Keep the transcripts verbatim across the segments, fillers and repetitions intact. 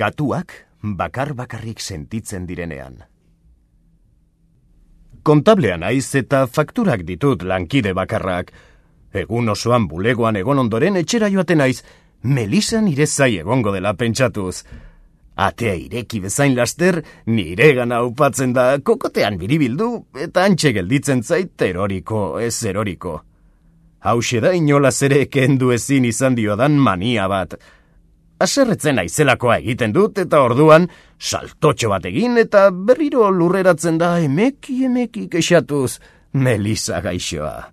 Katuak bakar-bakarrik sentitzen direnean. Kontablea naiz eta fakturak ditut lankide bakarrak. Egun osoan bulegoan egon ondoren etxera joaten naiz, Melisa nire zai egongo dela pentsatuz. Atea ireki bezain laster, nire gana upatzen da kokotean biribildu eta antxe gelditzen zait eroriko, ez eroriko. Hauxe da inolaz ere kendu ezin izan diodan mania bat. Aserretzen aizelakoa egiten dut eta orduan saltotxo bat egin eta berriro lurreratzen da emeki emeki kexatuz Melisa gaixoa.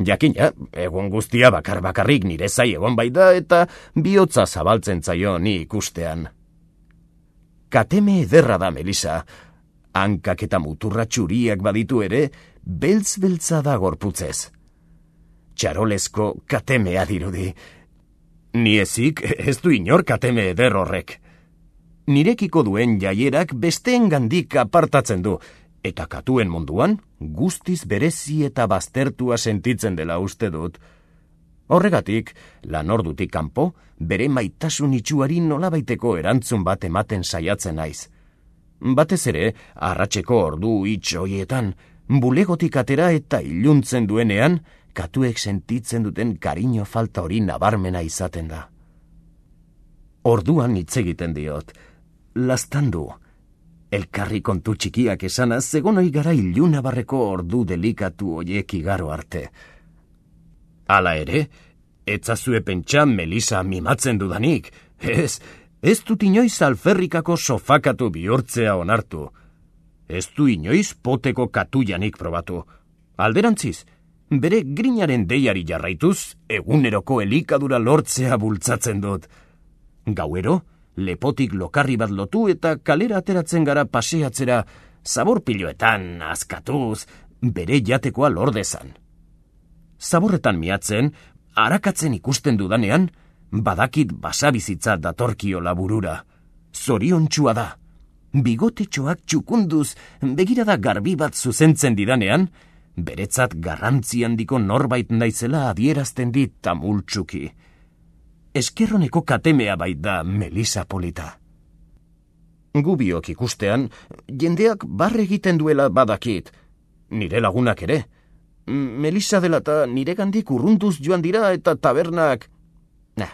Jakina, egun guztia bakar-bakarrik nire zai egon bai da eta bihotza zabaltzen zaio ni ikustean. Kateme ederra da Melisa. Hankak eta muturra txuriak baditu ere, beltz-beltza da gorputzez. Txarolesko katemea dirudi. Ni ezik ez du inor kateme eder horrek. Nirekiko duen jaierak besteengandik apartatzen du, eta katuen munduan guztiz berezi eta baztertua sentitzen dela uste dut. Horregatik, lan ordutik kanpo, bere maitasun itxuari nolabaiteko erantzun bat ematen saiatzen naiz. Batez ere, arratseko ordu itx hoietan, bulegotik atera eta iluntzen duenean, katuek sentitzen duten kariño falta hori nabarmena izaten da. Orduan hitz egiten diot, laztandu. Elkarri kontu txikiak esanaz, egon ohi gara ilunabarreko ordu delikatu hoiek igaro arte. Hala ere, etzazue pentsa Melisa mimatzen dudanik. Ez, ez dut inoiz alferrikako sofakatu bihurtzea onartu. Ez du inoiz poteko katuianik probatu. Alderantziz, bere grinaren deiari jarraituz, eguneroko elikadura lortzea bultzatzen dut. Gauero, lepotik lokarri bat lotu eta kalera ateratzen gara paseatzera, zaborpiloetan, askatuz, bere jatekoa lordezan. Zaborretan miatzen, arakatzen ikusten dudanean, badakit basabizitza datorkiola burura. Zoriontsua da. Bigotetxoak txukunduz, begirada garbi bat zuzentzen didanean, beretzat garrantzi handiko norbait naizela adierazten dit tamultsuki. Eskerroneko katemea bait da Melisa polita. Gubiok ikustean, jendeak barre egiten duela badakit. Nire lagunak ere. Melisa dela eta niregandik urrunduz joan dira eta tabernak... Nah,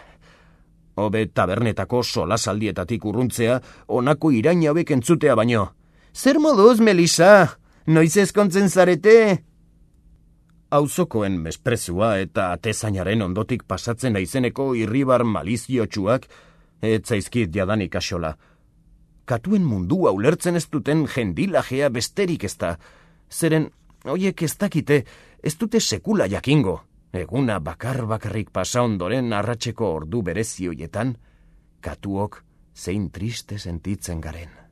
hobe tabernetako solasaldietatik urruntzea honako irain hauek entzutea baino. Zer moduz, Melisa? Noiz ezkontzen zarete? Auzokoen mesprezua eta atezainaren ondotik pasatzen naizeneko irribar maliziotsuak ez zaizkit jadanik asola. Katuen mundua ulertzen ez duten jendilajea besterik ez da. Zeren, hoiek ez dakite, ez dute sekula jakingo. Eguna bakar-bakarrik pasa ondoren arratseko ordu berezi hoietan, katuok zein triste sentitzen garen.